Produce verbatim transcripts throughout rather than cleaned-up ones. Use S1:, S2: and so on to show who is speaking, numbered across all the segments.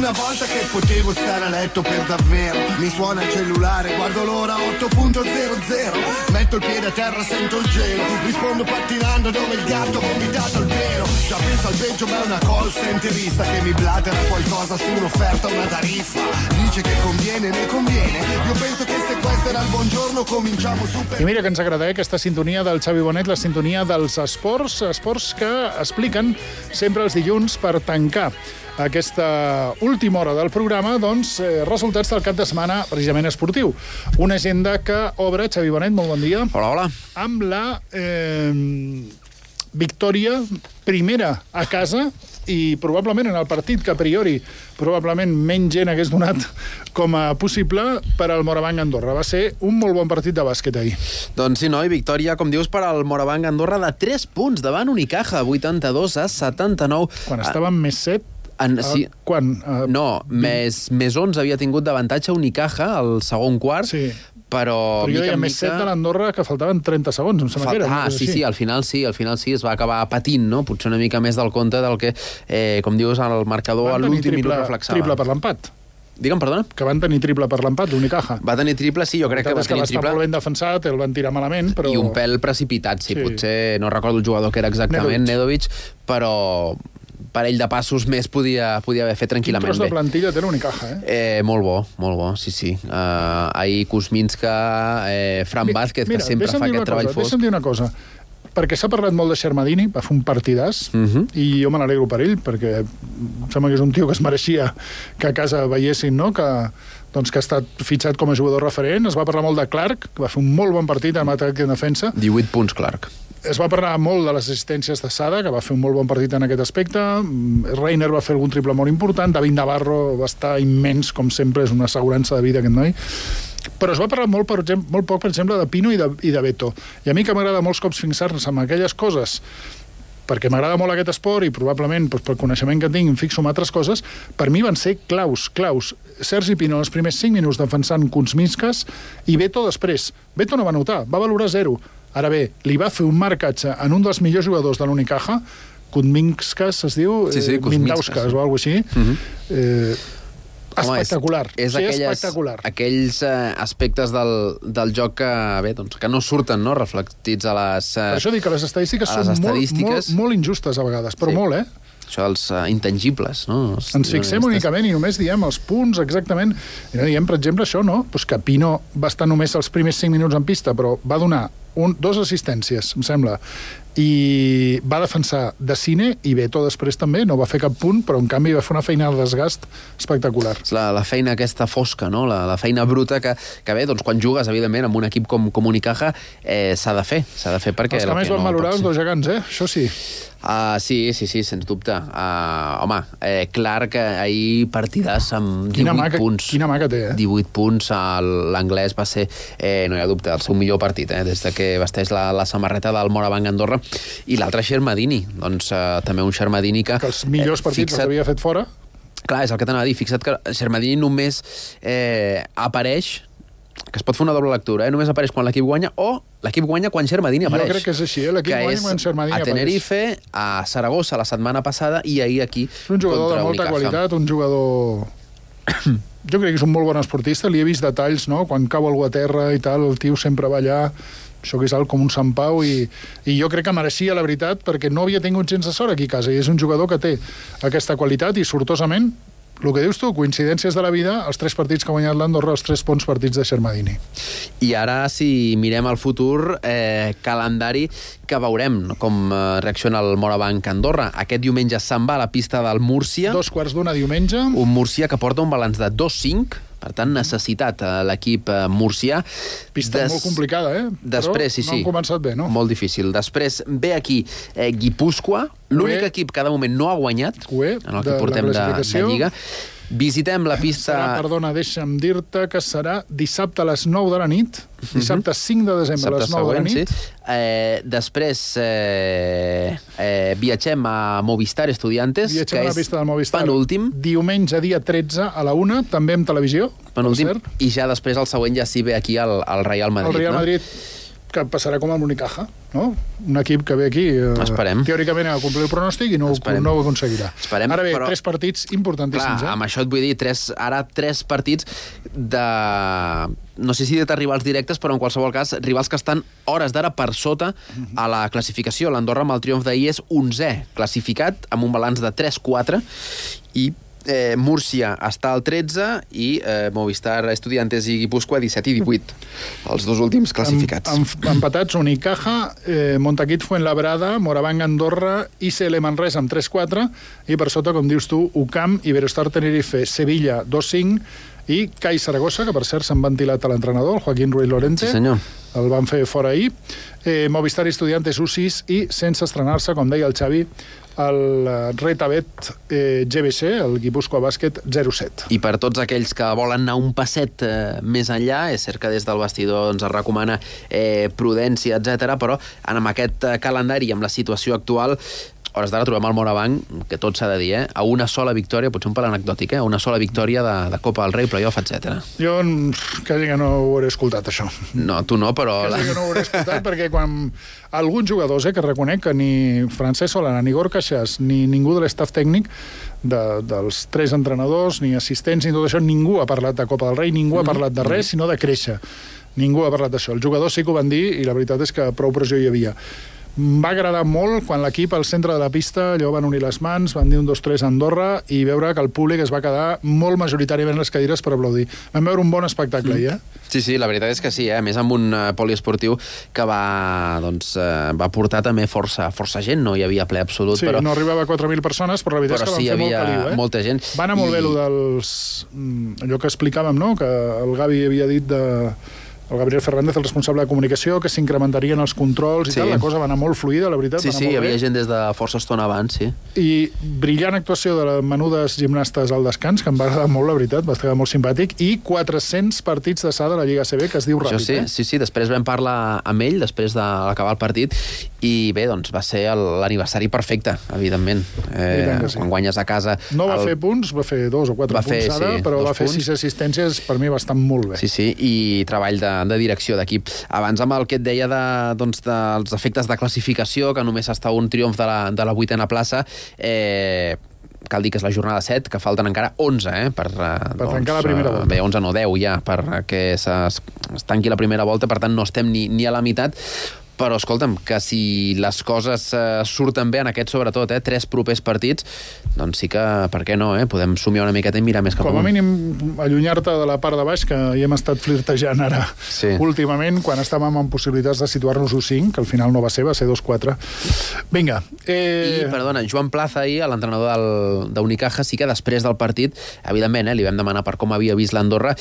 S1: una volta che potevo stare a letto per davvero. Mi suona il cellulare, guardo l'ora otto punto zero zero. Metto il piede a terra, sento il gelo. Rispondo pattinando dove il gatto ha vomitato il vero. Già penso al peggio, ma è una call centerista che mi blatera qualcosa su un'offerta, una tariffa. Dice che conviene, ne conviene. Io penso che se questo era il buongiorno cominciamo super...
S2: I mira que ens agrada, eh, aquesta sintonia del Xavi Bonet, la sintonia dels esports, esports que expliquen sempre els dilluns per tancar aquesta última hora del programa, doncs, eh, resultats del cap de setmana precisament esportiu. Una agenda que obre, Xavi Bonet, molt bon dia.
S3: Hola, hola.
S2: Amb la eh, victòria primera a casa i probablement en el partit que a priori probablement menys gent hagués donat com a possible per al Morabanc Andorra. Va ser un molt bon partit de bàsquet ahir.
S3: Doncs sí, noi, victòria, com dius, per al Morabanc Andorra de tres punts davant Unicaja, vuitanta-dos a setanta-nou.
S2: Quan estàvem ah. més set,
S3: En, sí.
S2: uh, quan? Uh,
S3: no, més, més onze havia tingut d'avantatge Unicaja al segon quart,
S2: sí.
S3: però...
S2: Però jo deia més set de l'Andorra que faltaven trenta segons, em sembla que era.
S3: Ah, sí, sí, al final sí, al final sí, es va acabar patint, no? Potser una mica més del compte del que, eh, com dius, el marcador a l'últim minut reflexava.
S2: Triple per l'empat.
S3: Digue'm, perdona?
S2: Que van tenir triple per l'empat, l'Unicaja.
S3: Va tenir triple, sí, jo crec que va tenir triple.
S2: Que va estar molt ben defensat, el van tirar malament, però...
S3: I un pèl precipitat, sí, sí. Potser no recordo el jugador que era exactament, Nedovic, però... parell de passos més podia, podia haver fet tranquil·lament bé.
S2: Quin tros de plantilla té l'Unicaja, eh?
S3: eh? Molt bo, molt bo, sí, sí. Uh, ahir Kuzminska, eh, Fran Vázquez,
S2: mira,
S3: que sempre fa aquest treball fosc.
S2: Deixa'm dir una cosa, perquè s'ha parlat molt de Xermadini, va fer un partidàs, uh -huh. i jo me n'alegro per ell, perquè em sembla que és un tio que es mereixia que a casa veiessin, no?, que, doncs, que ha estat fitxat com a jugador referent. Es va parlar molt de Clark, que va fer un molt bon partit en atac i en defensa.
S3: divuit punts, Clark.
S2: Es va parlar molt de les assistències de Sada, que va fer un molt bon partit en aquest aspecte. Reiner va fer algun triple molt important. David Navarro va estar immens, com sempre, és una assegurança de vida, aquest noi. Però es va parlar molt, per exemple, molt poc, per exemple, de Pino i de, i de Beto. I a mi, que m'agrada molts cops fixar-nos en aquelles coses, perquè m'agrada molt aquest esport i probablement doncs, pel coneixement que tinc em fixo en altres coses, per mi van ser claus, claus. Sergi Pino els primers cinc minuts defensant Kuzminskas i Beto després. Beto no va notar, va valorar zero. Ara bé, li va fer un marcatge en un dels millors jugadors de l'Unicaja, Kuzminskas es diu,
S3: sí, sí,
S2: eh, Mindauskas o alguna cosa així, uh -huh. eh, Home, espectacular. És, és sí, aquelles, espectacular.
S3: Aquells eh, aspectes del, del joc que, bé, doncs, que no surten, no?, reflectits a les eh,
S2: Per això dic que les estadístiques
S3: les
S2: són
S3: estadístiques.
S2: Molt, molt, molt injustes a vegades, però
S3: sí.
S2: molt, eh?
S3: Això dels uh, intangibles, no? Els,
S2: Ens fixem únicament i només diem els punts exactament. I no diem, per exemple, això, no? Pues que Pino va estar només els primers cinc minuts en pista, però va donar un, dos assistències, em sembla, i va defensar de cine, i Beto després també, no va fer cap punt, però en canvi va fer una feina de desgast espectacular.
S3: La, la feina aquesta fosca, no? La, la feina bruta que, que bé, doncs quan jugues, evidentment, amb un equip com, com Unicaja, eh, s'ha de fer, s'ha de fer perquè...
S2: Els que més van valorar els dos gegants, eh? Això sí.
S3: Uh, sí, sí, sí, sens dubte. Uh, home, eh, clar que ahir partidàs amb
S2: quina
S3: divuit
S2: maca,
S3: punts.
S2: Quina maca té, eh?
S3: divuit punts, l'anglès va ser, eh, no hi ha dubte, el seu millor partit, eh, des de que vesteix la, la samarreta del Morabanc Andorra. I l'altre Xermadini, doncs uh, també un Xermadini que...
S2: Que els millors eh, partits fixa't, els havia fet fora.
S3: Clar, és el que t'anava a dir. Fixa't que Xermadini només eh, apareix, que es pot fer una doble lectura, eh? Només apareix quan l'equip guanya o l'equip guanya quan Xermadini apareix.
S2: Jo crec que és així, eh? L'equip guanya quan Xermadini apareix.
S3: A Tenerife, a Saragossa la setmana passada i ahir aquí
S2: és un jugador de molta Unicaja. Qualitat, un jugador... Jo crec que és un molt bon esportista, li he vist detalls, no? Quan cau algú a terra i tal, el tio sempre va allà, això que és alt com un Sant Pau, i, i jo crec que mereixia, la veritat, perquè no havia tingut gens de sort aquí a casa, i és un jugador que té aquesta qualitat i sortosament, el que dius tu, coincidències de la vida, els tres partits que ha guanyat l'Andorra, els tres bons partits de Xermadini.
S3: I ara, si mirem al futur, eh, calendari que veurem com eh, reacciona el Morabanc Andorra. Aquest diumenge se'n va a la pista del Múrcia.
S2: Dos quarts d'una diumenge.
S3: Un Múrcia que porta un balanç de dos cinc, per tant, necessitat a l'equip murcià.
S2: Pista Des... molt complicada, eh?
S3: Després, sí,
S2: sí. No han començat bé, no?
S3: Molt difícil. Després ve aquí eh, Guipúscoa, l'únic equip que de moment no ha guanyat
S2: Ué,
S3: en el que portem de, de Lliga. Visitem la pista...
S2: Serà, perdona, deixa'm dir-te que serà dissabte a les nou de la nit, dissabte cinc de desembre a les nou de la nit.
S3: Sí. Eh, després eh, eh, viatgem a Movistar Estudiantes,
S2: viatgem
S3: que
S2: a la pista del Movistar.
S3: Penúltim.
S2: Diumenge, dia tretze, a la una, també en televisió.
S3: Penúltim. I ja després el següent ja sí ve aquí al, al Real Madrid.
S2: El Real
S3: no?
S2: Madrid... que passarà com amb l'Unicaja, no? Un equip que ve aquí eh,
S3: Esperem.
S2: teòricament a complir el pronòstic i no, no ho aconseguirà.
S3: Esperem,
S2: ara bé,
S3: però...
S2: tres partits importantíssims.
S3: Clar,
S2: eh?
S3: amb això et vull dir, tres, ara tres partits de... no sé si de rivals directes, però en qualsevol cas, rivals que estan hores d'ara per sota a la classificació. L'Andorra amb el triomf d'ahir és onzè classificat, amb un balanç de tres quatre, i Eh, Múrcia està al tretze i eh, Movistar Estudiantes i Guipúscoa disset i divuit, els dos últims classificats.
S2: Em, em, empatats Unicaja, eh, Montaquit Fuenlabrada, Moravang Andorra, I C L Manresa amb tres quatre i per sota, com dius tu, U C A M, Iberostar Tenerife, Sevilla dos cinc i C A I Saragossa, que per cert s'han ventilat a l'entrenador, el Joaquín Ruiz Lorente.
S3: Sí, senyor.
S2: El van fer fora ahir. Eh, Movistar Estudiantes U sis i, sense estrenar-se, com deia el Xavi, el Retabet eh, G B C, el Guipúscoa Bàsquet zero set.
S3: I per tots aquells que volen anar un passet eh, més enllà, és cert que des del vestidor ens recomana eh, prudència, etcètera, però amb aquest eh, calendari i amb la situació actual, hores d'ara trobem el Moravang, que tot s'ha de dir, eh? A una sola victòria, potser un pel anecdòtic, eh? A una sola victòria de, de Copa del Rei, playoff, etcètera.
S2: Jo quasi que no ho hauré escoltat, això.
S3: No, tu no, però...
S2: Quasi que no ho hauré escoltat, perquè quan alguns jugadors, eh, que reconec que ni Francesc Solana, ni Gorka Xas, ni ningú de l'estaf tècnic, de, dels tres entrenadors, ni assistents, ni tot això, ningú ha parlat de Copa del Rei, ningú ha parlat de res, sinó de créixer. Ningú ha parlat d'això. Els jugadors sí que ho van dir, i la veritat és que prou pressió hi havia. Va agradar molt quan l'equip al centre de la pista allò van unir les mans, van dir un, dos, tres a Andorra i veure que el públic es va quedar molt majoritàriament a les cadires per aplaudir. Vam veure un bon espectacle, mm. eh?
S3: Sí, sí, la veritat és que sí, eh? A més amb un uh, poliesportiu que va, doncs, uh, va portar també força, força gent, no hi havia ple absolut.
S2: Sí,
S3: però...
S2: no arribava a quatre mil persones, però la veritat
S3: però
S2: és que
S3: sí,
S2: van fer molt
S3: havia
S2: caliu, eh?
S3: molta gent.
S2: Va anar molt
S3: I...
S2: bé allò dels... allò que explicàvem, no?, que el Gavi havia dit de... el Gabriel Fernández, el responsable de comunicació, que s'incrementarien els controls i sí. tal, la cosa va anar molt fluida, la veritat.
S3: Sí,
S2: va anar
S3: sí,
S2: molt
S3: hi havia
S2: bé.
S3: gent des de força estona abans, sí.
S2: I brillant actuació de les menudes gimnastes al descans, que em va agradar molt, la veritat, va estar molt simpàtic, i quatre-cents partits d'essada a la Lliga A C B, que es diu ràpid.
S3: Sí,
S2: eh?
S3: sí, sí, després vam parlar amb ell, després d'acabar el partit, i bé, doncs va ser l'aniversari perfecte, evidentment. Eh, sí. Quan guanyes a casa...
S2: No va
S3: el...
S2: fer punts, va fer dos o quatre
S3: va
S2: punts
S3: fer,
S2: ara,
S3: sí,
S2: però va fer
S3: punts.
S2: sis assistències, per mi bastant molt bé.
S3: Sí, sí, i treball de, de direcció d'equip. Abans amb el que et deia de, doncs, dels efectes de classificació, que només està un triomf de la, de la vuitena plaça, eh, cal dir que és la jornada set, que falten encara onze, eh, per,
S2: per
S3: doncs,
S2: tancar la primera volta.
S3: Bé, onze no, deu ja, perquè es, es tanqui la primera volta, per tant no estem ni, ni a la meitat. Però, escolta'm, que si les coses eh, surten bé en aquest, sobretot, eh, tres propers partits, doncs sí que, per què no, eh? Podem somiar una miqueta i mirar més cap
S2: amunt. Com a
S3: amunt.
S2: mínim, allunyar-te de la part de baix, que hi hem estat flirtejant ara
S3: sí.
S2: últimament, quan estàvem amb possibilitats de situar-nos u cinc, que al final no va ser, va ser dos quatre. Vinga.
S3: Eh... I, perdona, Joan Plaza ahir, l'entrenador d'Unicaja, sí que després del partit, evidentment, eh, li vam demanar per com havia vist l'Andorra,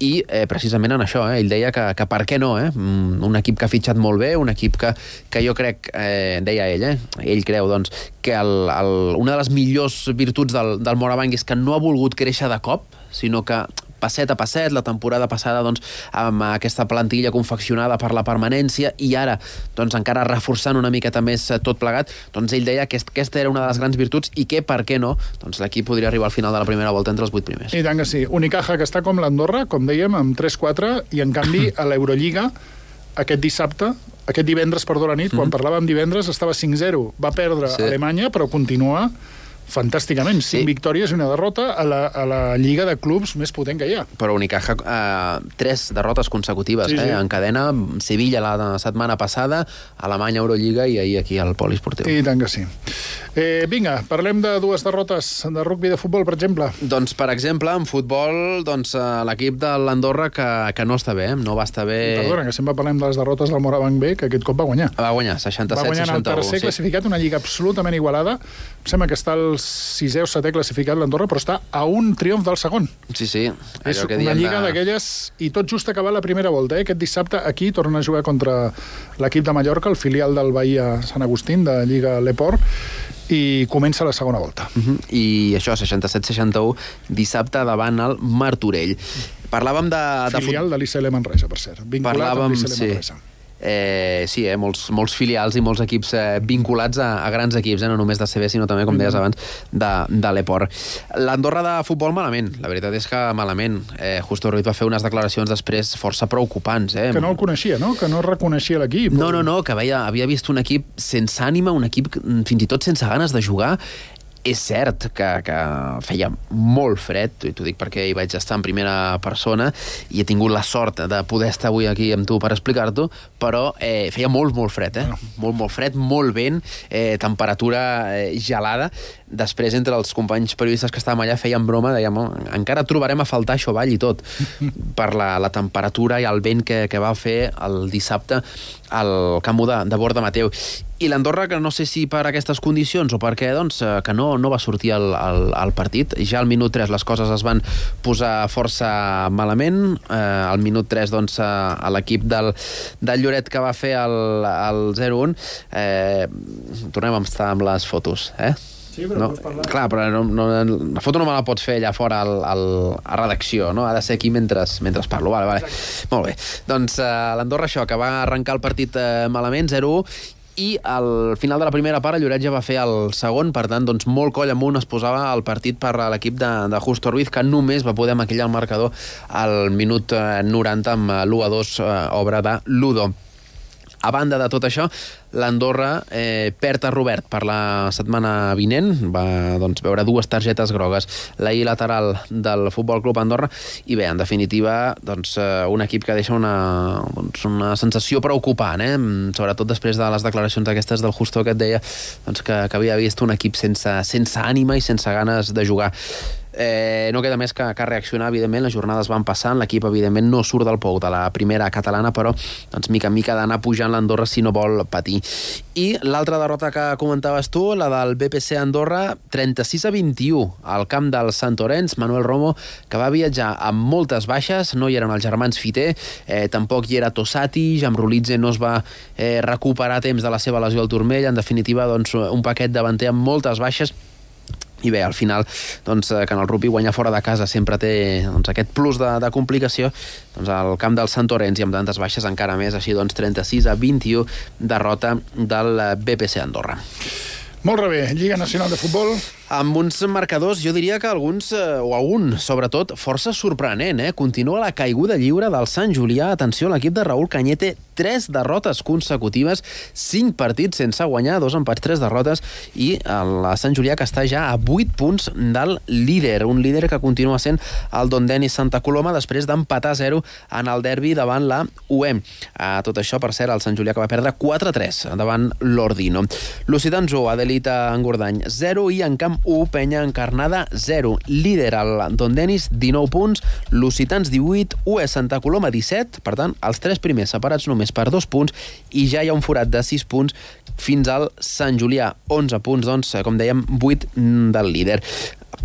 S3: i eh, precisament en això, eh, ell deia que, que per què no, eh? Un equip que ha fitxat molt bé, un equip que, que jo crec, eh, deia ell, eh? ell creu doncs, que el, el, una de les millors virtuts del, del Moravang és que no ha volgut créixer de cop, sinó que passet a passet, la temporada passada doncs, amb aquesta plantilla confeccionada per la permanència i ara doncs, encara reforçant una miqueta més tot plegat, doncs ell deia que aquesta era una de les grans virtuts i que, per què no, doncs l'equip podria arribar al final de la primera volta entre els vuit primers.
S2: I tant que sí. Unicaja, que està com l'Andorra, com dèiem, amb tres quatre, i en canvi a l'Eurolliga aquest dissabte, aquest divendres, perdó, la nit, mm. quan parlàvem divendres, estava cinc zero. Va perdre sí. Alemanya, però continua fantàsticament, cinc sí. victòries i una derrota a la, a la lliga de clubs més potent que hi ha.
S3: Però Unicaja, eh, tres derrotes consecutives, sí, eh? Sí. En cadena, Sevilla la setmana passada, Alemanya, Eurolliga i ahir aquí al poliesportiu.
S2: I tant que sí. Eh, vinga, parlem de dues derrotes de rugby de futbol, per exemple.
S3: Doncs, per exemple, en futbol, doncs, l'equip de l'Andorra que, que no està bé, no va estar bé...
S2: Perdona, que sempre parlem de les derrotes del Moravang B, que aquest cop va guanyar.
S3: Va guanyar, seixanta-set seixanta-u.
S2: Va guanyar en el tercer sí. classificat, una lliga absolutament igualada. Em sembla que està el sisè o setè classificat l'Andorra, però està a un triomf del segon.
S3: Sí, sí.
S2: És que una lliga de... d'aquelles... I tot just acabar la primera volta, eh? Aquest dissabte aquí torna a jugar contra l'equip de Mallorca, el filial del Bahia Sant Agustín, de Lliga Leport, i comença la segona volta.
S3: Uh -huh. I això, seixanta-set seixanta-u, dissabte davant el Martorell. Parlàvem de...
S2: Filial de, de l'I C L Manresa, per cert. Vinculat
S3: Parlàvem,
S2: amb l'I C L
S3: sí.
S2: Manresa.
S3: Eh, sí, eh, molts, molts filials i molts equips eh, vinculats a, a grans equips, eh, no només de C B, sinó també, com deies abans, de, de l'Eport. L'Andorra de futbol malament, la veritat és que malament. Eh, Justo Ruiz va fer unes declaracions després força preocupants. Eh?
S2: Que no el coneixia, no? Que no reconeixia l'equip.
S3: No, no, no, que veia, havia vist un equip sense ànima, un equip fins i tot sense ganes de jugar. És cert que, que feia molt fred, i t'ho dic perquè hi vaig estar en primera persona i he tingut la sort de poder estar avui aquí amb tu per explicar-t'ho, però eh, feia molt, molt fred, eh? Molt, molt fred, molt vent, eh, temperatura eh, gelada. Després, entre els companys periodistes que estàvem allà, feien broma, dèiem, oh, encara trobarem a faltar això avall i tot, per la, la temperatura i el vent que, que va fer el dissabte al camp de, de Borda Mateu. I l'Andorra, que no sé si per aquestes condicions o per què, doncs, que no, no va sortir al, al, al partit. Ja al minut tres les coses es van posar força malament. Eh, al minut tres, doncs, a l'equip del, del Lloret que va fer el, el zero un. Eh, tornem a estar amb les fotos, eh?
S2: Sí, però
S3: no,
S2: pots parlar.
S3: clar, però no, no, la foto no me la pots fer allà fora al, al, a redacció, no? Ha de ser aquí mentre, mentre parlo. Vale, vale. Molt bé. Doncs uh, l'Andorra, això, que va arrencar el partit uh, malament, zero u, i al final de la primera part el Lloret ja va fer el segon, per tant, doncs, molt coll amunt es posava el partit per a l'equip de, de Justo Ruiz, que només va poder maquillar el marcador al minut uh, noranta amb l'u a dos uh, obra de Ludo. A banda de tot això, l'Andorra eh, perd a Robert per la setmana vinent, va doncs, veure dues targetes grogues, la I lateral del Futbol Club Andorra, i bé, en definitiva, doncs, un equip que deixa una, doncs, una sensació preocupant, eh? Sobretot després de les declaracions aquestes del Justo, que et deia doncs, que, que havia vist un equip sense, sense ànima i sense ganes de jugar. Eh, no queda més que, que reaccionar, evidentment. Les jornades van passant, l'equip evidentment no surt del pou de la primera catalana, però doncs, mica en mica ha d'anar pujant l'Andorra si no vol patir. I l'altra derrota que comentaves tu, la del B P C Andorra, trenta-sis a vint-i-u al camp del Sant Orenç. Manuel Romo, que va viatjar amb moltes baixes, no hi eren els germans Fiter, eh, tampoc hi era Tossati, Jamrulidze no es va eh, recuperar a temps de la seva lesió al turmell. En definitiva, doncs, un paquet davanter amb moltes baixes. I bé, al final, doncs, que en el rugby guanyar fora de casa sempre té doncs, aquest plus de, de complicació, doncs al camp del Sant Orenç i amb tantes baixes encara més, així doncs trenta-sis a vint-i-u, derrota del B P C Andorra.
S2: Molt bé, Lliga Nacional de Futbol.
S3: Amb uns marcadors, jo diria que alguns, eh, o algun, sobretot, força sorprenent, eh? Continua la caiguda lliure del Sant Julià. Atenció, l'equip de Raúl Cañete, tres derrotes consecutives, cinc partits sense guanyar, dos empats, tres derrotes, i el Sant Julià, que està ja a vuit punts del líder, un líder que continua sent el Don Denis Santa Coloma, després d'empatar a zero en el derbi davant la U E M. A tot això, per cert, el Sant Julià que va perdre quatre a tres davant l'Ordino. L'Occitans u, Adelita Engordany, zero, i en camp u, Penya Encarnada, zero. Líder el Don Denis, dinou punts, l'Occitans divuit, U E Santa Coloma disset, per tant, els tres primers separats només per dos punts, i ja hi ha un forat de sis punts fins al Sant Julià, onze punts, doncs, com dèiem, vuit del líder.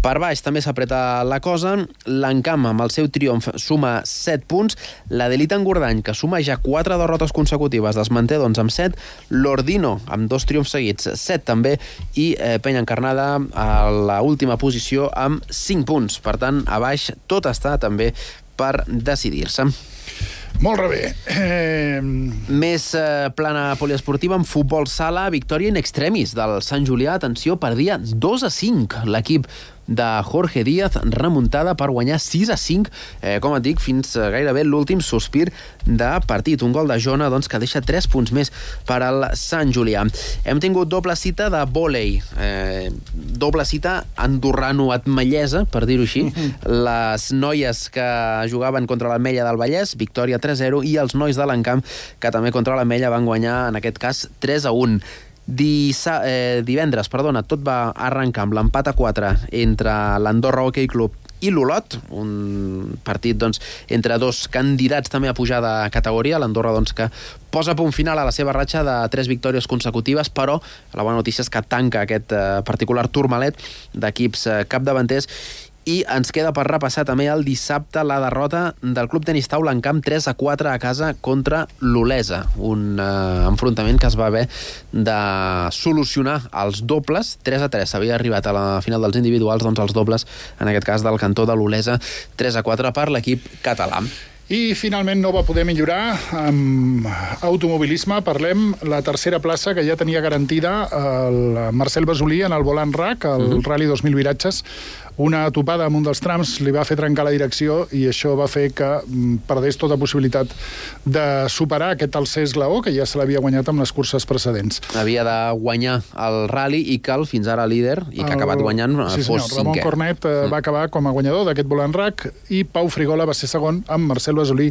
S3: Per baix també s'apreta la cosa. L'Encamp, amb el seu triomf, suma set punts. L'Adelita Engordany, que suma ja quatre derrotes consecutives, les manté doncs amb set. L'Ordino, amb dos triomfs seguits, set també. I eh, Penya Encarnada a l'última posició amb cinc punts. Per tant, a baix tot està també per decidir-se.
S2: Molt bé. Eh...
S3: Més eh, plana poliesportiva en futbol sala, victòria in extremis del Sant Julià. Atenció, perdia dos a cinc l'equip de Jorge Díaz, remuntada per guanyar sis a cinc, eh, com et dic, fins gairebé l'últim sospir de partit. Un gol de Jona, doncs, que deixa tres punts més per al Sant Julià. Hem tingut doble cita de vòlei, eh, doble cita andorrano-atmellesa, per dir-ho així. Les noies que jugaven contra l'Ametlla del Vallès, victòria tres a zero, i els nois de l'Encamp, que també contra l'Ametlla van guanyar, en aquest cas, tres a un. Dissa, eh, divendres, perdona, tot va arrencar amb l'empat a quatre entre l'Andorra Hockey Club i l'Olot, un partit doncs, entre dos candidats també a pujar de categoria. L'Andorra doncs, que posa punt final a la seva ratxa de tres victòries consecutives, però la bona notícia és que tanca aquest eh, particular turmalet d'equips eh, capdavanters. I ens queda per repassar també el dissabte la derrota del Club Tenis Taula en camp tres a quatre a casa contra l'Olesa. Un eh, enfrontament que es va haver de solucionar als dobles. tres a tres s'havia arribat a la final dels individuals, doncs els dobles, en aquest cas del cantó de l'Olesa, tres a quatre per l'equip català.
S2: I finalment no va poder millorar amb automobilisme. Parlem la tercera plaça que ja tenia garantida el Marcel Basolí en el Volant R A C, el uh-huh. Rally dos mil viratges. Una topada amb un dels trams li va fer trencar la direcció i això va fer que perdés tota possibilitat de superar aquest tercer esglaó que ja se l'havia guanyat amb les curses precedents.
S3: Havia de guanyar el Rally i que el fins ara líder i que ha acabat guanyant
S2: sí,
S3: fos
S2: senyor, Ramon
S3: cinquè.
S2: Cornet eh, mm. va acabar com a guanyador d'aquest Volant R A C i Pau Frigola va ser segon amb Marcel Basolí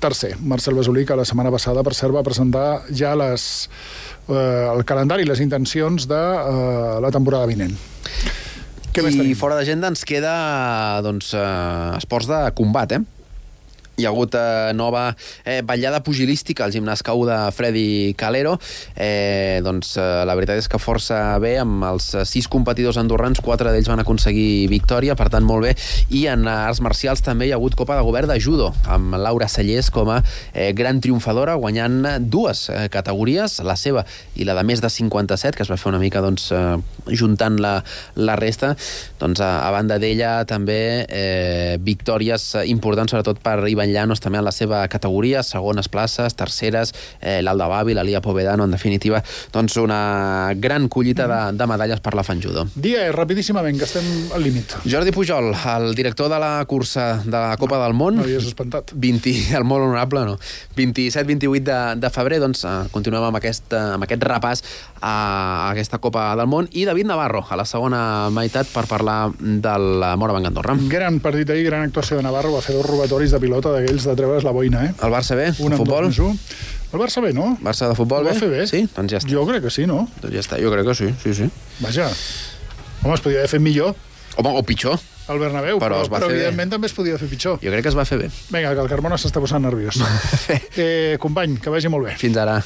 S2: tercer. Marcel Basolí que la setmana passada, per cert, va presentar ja les, eh, el calendari i les intencions de eh, la temporada vinent.
S3: I fora d'agenda ens queda doncs, eh, esports de combat, eh? Hi ha hagut eh, nova eh, ballada pugilística al gimnàs K u de Freddy Calero. Eh, doncs eh, la veritat és que força bé, amb els sis competidors andorrans, quatre d'ells van aconseguir victòria, per tant molt bé. I en arts marcials també hi ha hagut Copa de Govern de Judo, amb Laura Cellers com a eh, gran triomfadora, guanyant dues eh, categories, la seva i la de més de cinquanta-set, que es va fer una mica doncs, eh, juntant la, la resta. Doncs a, a banda d'ella també eh, victòries importants, sobretot per Ivan Llanos també en la seva categoria, segones places, terceres, eh, l'Alda Bavi, la Lia Povedano, en definitiva, doncs una gran collita de, de medalles per la Fan Judo.
S2: Dia, rapidíssimament, que estem al límit.
S3: Jordi Pujol, el director de la cursa de la Copa del Món.
S2: M'havies espantat.
S3: vint, el molt honorable, no. vint-i-set vint-i-vuit de, de febrer, doncs eh, continuem amb aquest, eh, amb aquest repàs a, a aquesta Copa del Món. I David Navarro, a la segona meitat, per parlar del Morabanc Andorra.
S2: Gran partit ahir, gran actuació de Navarro, va fer dos robatoris de pilota d'aquells de treure's la boina, eh?
S3: El Barça bé?
S2: Un
S3: futbol?
S2: El Barça bé, no?
S3: Barça de futbol
S2: Ho
S3: bé?
S2: va fer bé?
S3: Sí? Doncs ja està.
S2: Jo crec que sí, no?
S3: Doncs ja està, jo crec que sí, sí, sí.
S2: Vaja. Home, es podia haver fet millor.
S3: Home, o pitjor.
S2: El Bernabéu,
S3: però,
S2: però, però evidentment bé. També es podia fer pitjor.
S3: Jo crec que es va fer bé.
S2: Vinga, que el Carmona s'està posant nerviós. eh, company, que vagi molt bé.
S3: Fins ara.